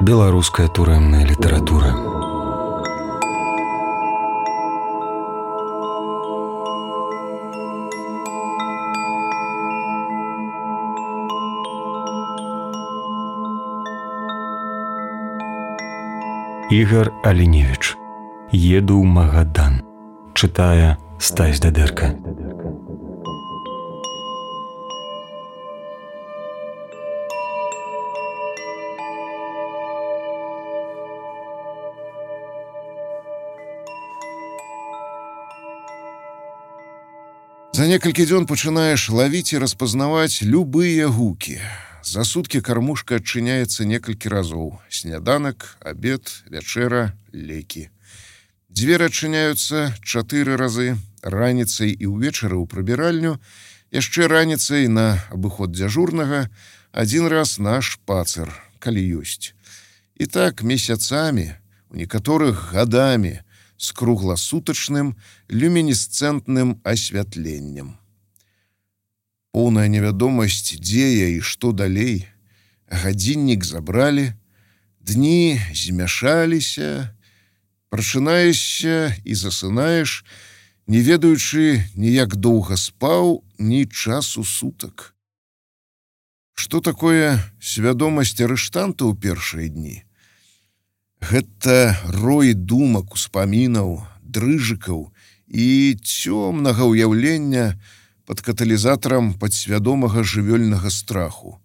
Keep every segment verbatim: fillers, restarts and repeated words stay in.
Беларуская турэмная літаратура. Ігар Аліневіч. Еду ў Магадан. Чытае Стась Дадэрка. За некалькі дзён пачынаеш лавіць і распазнаваць любыя гукі. За суткі кармушка адчыняецца некалькі разоў. Сняданак, абед, вячэра, лекі. Дзверы адчыняюцца чатыры разы, раніцай і ўвечары ў прыбіральню, яшчэ раніцай на абыход дзяжурнага, адзін раз на шпацыр, калі ёсць. І так месяцамі, у некаторых гадамі, з кругласутачным люмінесцэнтным асвятленнем. Поўная невядомасць, дзе я і што далей. Гадзіннік забралі, дні змяшаліся, прачынаешся і засынаеш, не ведаючы ні як доўга спаў, ні часу сутак. Што такое свядомасць арыштанта ў першыя дні? Гэта рой думак, успамінаў, дрыжыкаў і цёмнага ўяўлення пад каталізатарам падсвядомага жывёльнага страху.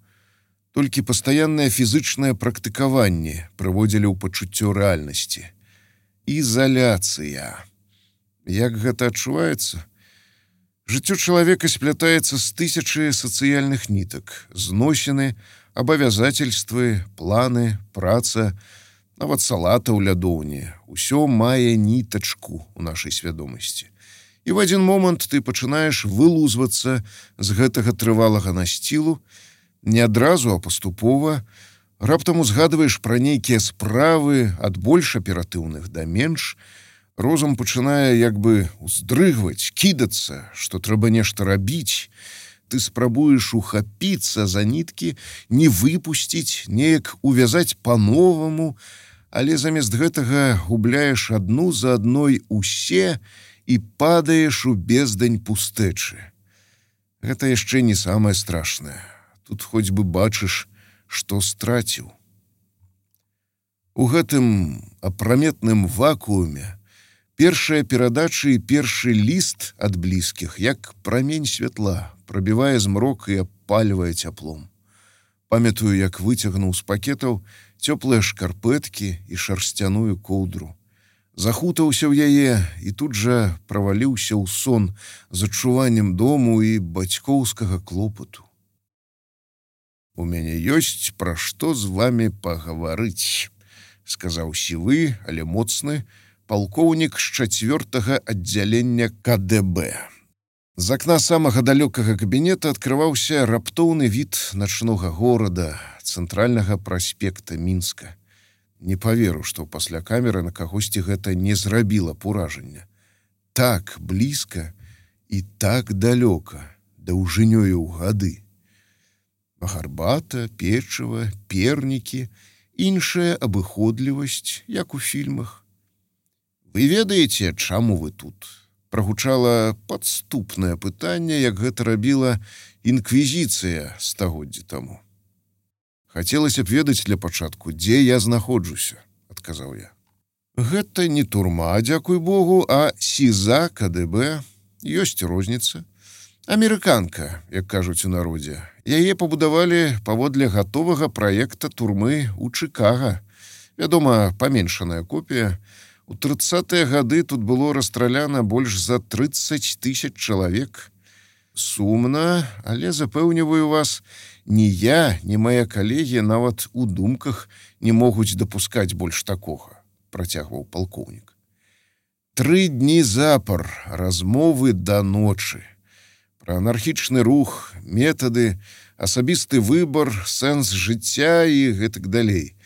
Толькі пастаяннае фізычнае практыкаванне прыводзілі ў пачуццё рэальнасці. Ізаляцыя. Як гэта адчуваецца? Жыццё чалавека сплятаецца з тысячы сацыяльных нітак, зносіны, абавязательствы, планы, праца, нават салата ў лядоўні. Усё мае нітачку ў нашай свядомасці. І в адзін момант ты пачынаеш вылузвацца з гэтага трывалага насцілу, не адразу, а паступова, раптам узгадваеш пра нейкія справы ад больш аператыўных да менш, розум пачынае як бы уздрыгваць, кідацца, што трэба нешта рабіць. Ты спрабуеш ухапіцца за ніткі, не выпусціць, неяк увязаць па-новаму, але замест гэтага губляеш адну за адной усе і падаеш у бездань пустэчы. Гэта яшчэ не самае страшнае. Тут хоць бы бачыш, што страціў. У гэтым апраметным вакууме першая перадача і першы ліст ад блізкіх, як прамень святла, прабівае змрок і апальвае цяплом. Памятаю, як выцягнуў з пакетаў цёплыя шкарпэткі і шарсцяную коўдру. Захутаўся ў яе і тут жа праваліўся ў сон з адчуваннем дому і бацькоўскага клопату. «У мяне ёсць пра што з вамі пагаварыць», — сказаў сівы, але моцны, палкоўнік з чацвёртага аддзялення ка дэ бэ. З акна самага далёкага кабінета адкрываўся раптоўны від начнога горада, цэнтральнага праспекта Мінска. Не паверу, што пасля камеры на кагосьці гэта не зрабіла поражання. Так блізка і так далёка, даўжынёю ў гады. Гарбата, печыва, пернікі, іншая абыходлівасць, як у фільмах. «Вы ведаеце, чаму вы тут?» Прагучала падступнае пытанне, як гэта рабіла інквізіцыя стагоддзі таму. «Хацелася б ведаць для пачатку, дзе я знаходжуся», — адказаў я. «Гэта не турма, дзякуй Богу, а сіза ка дэ бэ. Ёсць розніца. Амерыканка, як кажуць у народзе. Яе пабудавалі паводле гатовага праекта турмы ў Чыкага. Вядома, паменшаная копія. У трыццатыя гады тут было расстраляна больш за трыццаць тысяч чалавек. Сумна, але запэўніваю вас, ні я, ні мае калегі нават у думках не могуць дапускаць больш такога», — працягваў палкоўнік. Тры дні запар, размовы да ночы. Пра анархічны рух, метады, асабісты выбар, сэнс жыцця і гэтак далей.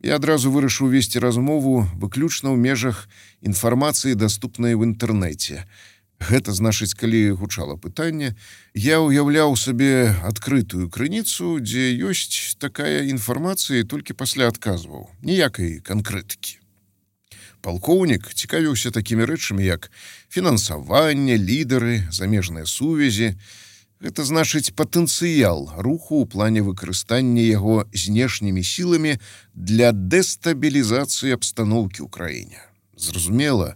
Я адразу вырашыў весці размову выключна ў межах інфармацыі, даступнай в інтэрнэце. Гэта значыць, калі гучала пытанне, я ўяўляў сабе адкрытую крыніцу, дзе ёсць такая інфармацыя, і толькі пасля адказваў. Ніякай канкрэтыкі. Палкоўнік цікавіўся такімі рэчамі, як фінансаванне, лідары, замежныя сувязі. Гэта значыць патэнцыял руху ў плане выкарыстання яго знешнімі сіламі для дэстабілізацыі абстаноўкі ў краіне. Зразумела,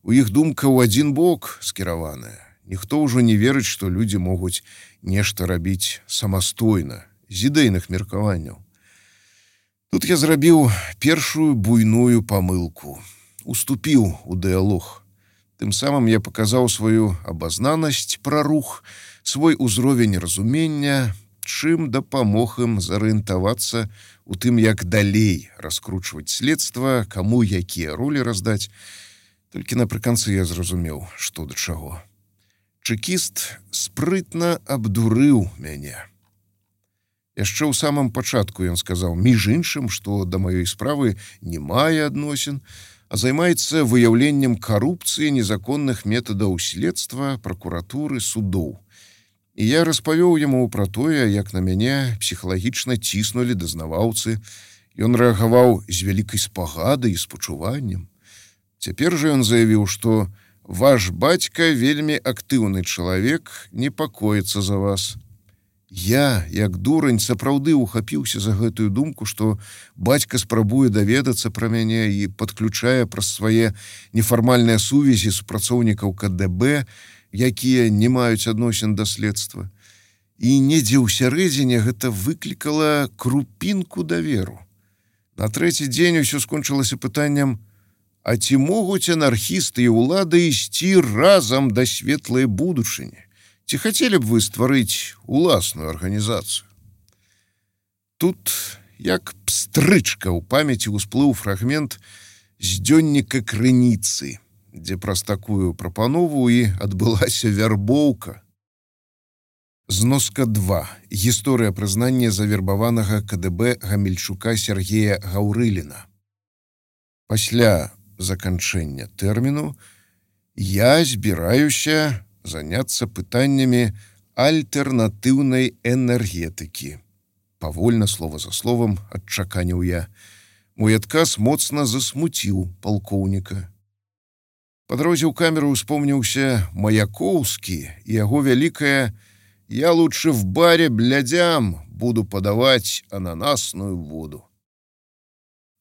у іх думка ў адзін бок скіраваная. Ніхто ўжо не верыць, што людзі могуць нешта рабіць самастойна, з ідэйных меркаванняў. Тут я зрабіў першую буйную памылку. Уступіў у дыялог. Тым самым я паказаў сваю абазнанасць пра рух, свой узровень разумення, чым дапамог ім зарыентавацца у тым, як далей раскручваць следства, каму якія ролі раздаць. Толькі напрыканцы я зразумеў, што да чаго. Чэкіст спрытна абдурыў мяне. Яшчэ ў самым пачатку ён сказаў, між іншым, што да маёй справы не мае адносін, а займаецца выяўленнем карупцыі, незаконных метадаў следства, пракуратуры, судоў. І я распавёў яму пра тое, як на мяне псіхалагічна ціснулі дазнаваўцы. Ён рэагаваў з вялікай спагадай і спачуваннем. Цяпер жа ён заявіў, што ваш бацька вельмі актыўны чалавек, непакоіцца за вас. Я, як дурань, сапраўды ухапіўся за гэтую думку, што бацька спрабуе даведацца пра мяне і падключае праз свае нефармальныя сувязі супрацоўнікаў ка дэ бэ, якія не маюць адносін да следства. І недзе ў сярэдзіне гэта выклікала крупінку даверу. На трэці дзень усё скончылася пытаннем: а ці могуць анархісты і ўлада ісці разам да светлай будучыні? Ці хацелі б вы стварыць уласную арганізацыю? Тут, як пстрычка ў памяці ўсплыў фрагмент з дзённіка крыніцы, дзе праз такую прапанову і адбылася вярбоўка. Зноска два. Гісторыя прызнання завербаванага ка дэ бэ Гамельчука Сергея Гаўрыліна. Пасля заканчэння тэрміну я збіраюся заняцца пытаннямі альтэрнатыўнай энергетыкі. Павольна, слова за словам, адчаканіў я. Мой адказ моцна засмуціў палкоўніка. Па дарозе ў камеру успомніўся Маяковскі і яго вялікая «Я лучше в баре блядям буду падаваць ананасную воду».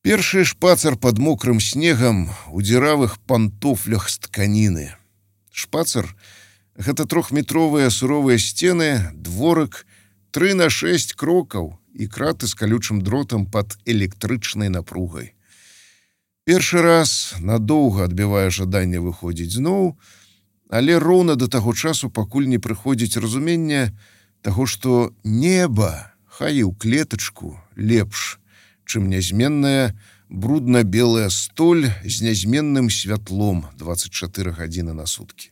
Першы шпацар пад мокрым снегам у дзіравых пантофлях з тканіны. Шпацар — гэта трохметровыя суровыя сцены, дворык, тры на шэсць крокаў і краты з калючым дротам пад электрычнай напругай. Першы раз надоўга адбівае жаданне выходзіць зноў, але роўна да таго часу, пакуль не прыходзіць разуменне таго, што неба, хай і ў клетачку, лепш, чым нязменная брудна-белая столь з нязменным святлом дваццаць чатыры гадзіны на суткі.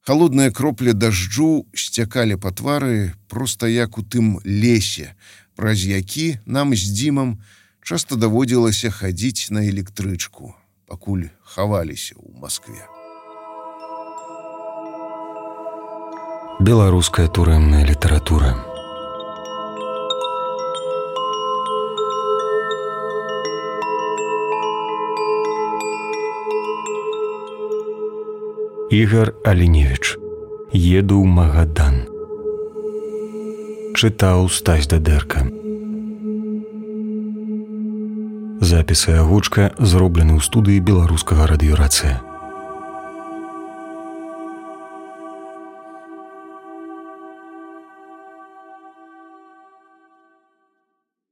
Халодныя кроплі дажджу сцякалі па твары проста як у тым лесе, праз які нам з Дзімам часта даводзілася хадзіць на электрычку, пакуль хаваліся ў Маскве. Беларуская турэмная літаратура. Ігар Аліневіч. Еду ў Магадан. Чытаў Стась Дадэрка. Запісы агучка зроблены ў студыі беларускага радыёрацыя.